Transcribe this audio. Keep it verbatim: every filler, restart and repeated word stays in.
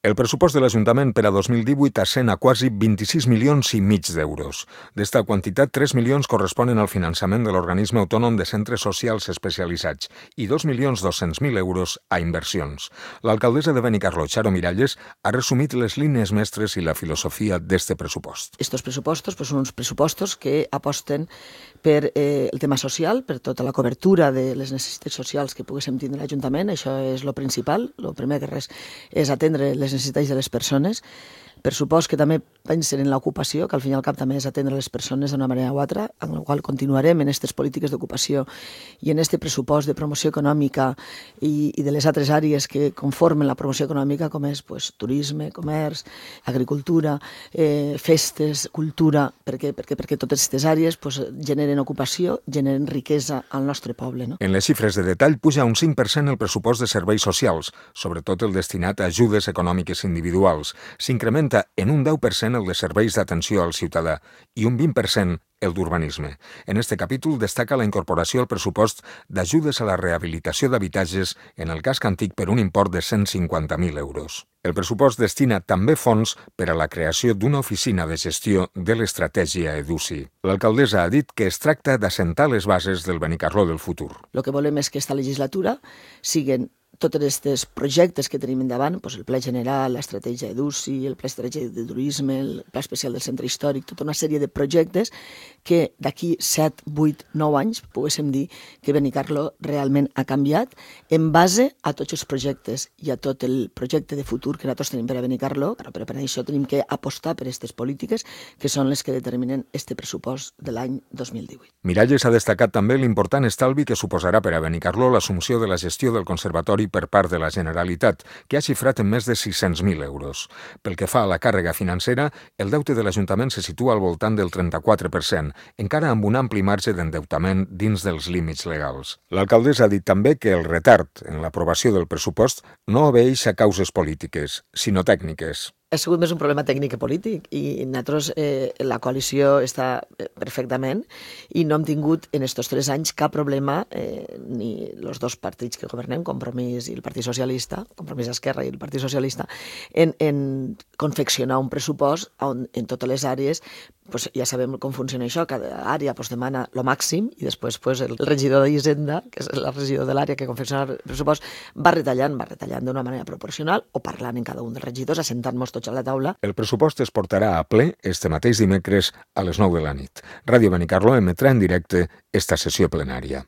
El pressupost de l'Ajuntament per a dos mil divuit ascén a quasi vint-i-sis milions i mig d'euros. D'esta quantitat, tres milions corresponen al finançament de l'organisme autònom de centres socials especialitzats i dos milions dos-cents mil euros a inversions. L'alcaldessa de Benicarló, Charo Miralles, ha resumit les línies mestres i la filosofia d'este pressupost. Estos pressupostos pues, són uns pressupostos que aposten per eh, el tema social, per tota la cobertura de les necessitats socials que poguéssim tindre l'Ajuntament. Això és lo principal. Lo primer que res és atendre les necessitats de les persones. Pressupost que també pensen en l'ocupació, que al fin i al cap també és atendre les persones d'una manera o altra, amb la qual continuarem en aquestes polítiques d'ocupació i en aquest pressupost de promoció econòmica i, i de les altres àrees que conformen la promoció econòmica, com és pues, turisme, comerç, agricultura, eh, festes, cultura, perquè, perquè, perquè totes aquestes àrees pues, generen ocupació, generen riquesa al nostre poble. No? En les xifres de detall puja un cinc per cent el pressupost de serveis socials, sobretot el destinat a ajudes econòmiques individuals. S'incrementa en un deu per cent el de serveis d'atenció al ciutadà i un vint per cent el d'urbanisme. En este capítol destaca la incorporació al pressupost d'ajudes a la rehabilitació d'habitatges en el casc antic per un import de cent cinquanta mil euros. El pressupost destina també fons per a la creació d'una oficina de gestió de l'estratègia EDUSI. L'alcaldessa ha dit que es tracta d'assentar les bases del Benicarló del futur. El que volem és que aquesta legislatura siguin tots aquests projectes que tenim endavant, doncs el Pla General, l'estratègia EDUSI, el Pla Estratègic de Turisme, el Pla Especial del Centre Històric, tota una sèrie de projectes que d'aquí set, vuit, nou anys poguéssim dir que Benicarló realment ha canviat en base a tots els projectes i a tot el projecte de futur que nosaltres tenim per a Benicarló, però per a això tenim que apostar per aquestes polítiques que són les que determinen este pressupost de l'any dos mil divuit. Miralles ha destacat també l'important estalvi que suposarà per a Benicarló l'assumpció de la gestió del conservatori per part de la Generalitat, que ha xifrat en més de sis-cents mil euros. Pel que fa a la càrrega financera, el deute de l'Ajuntament se situa al voltant del trenta-quatre per cent, encara amb un ampli marge d'endeutament dins dels límits legals. L'alcaldessa ha dit també que el retard en l'aprovació del pressupost no obeeix a causes polítiques, sinó tècniques. Ha sigut més un problema tècnic que polític i nosaltres, eh, la coalició està perfectament i no hem tingut en aquests tres anys cap problema, eh, ni els dos partits que governem, Compromís i el Partit Socialista, Compromís Esquerra i el Partit Socialista, en, en confeccionar un pressupost on en totes les àrees pues, ja sabem com funciona això, cada àrea pues, demana el màxim i després pues, el regidor d'Hisenda, que és el regidor de l'àrea que confecciona el pressupost, va retallant, va retallant d'una manera proporcional o parlant en cada un dels regidors, assentant-nos tots a la taula. El pressupost es portarà a ple este mateix dimecres a les nou de la nit. Ràdio Benicarló emetrà en directe esta sessió plenària.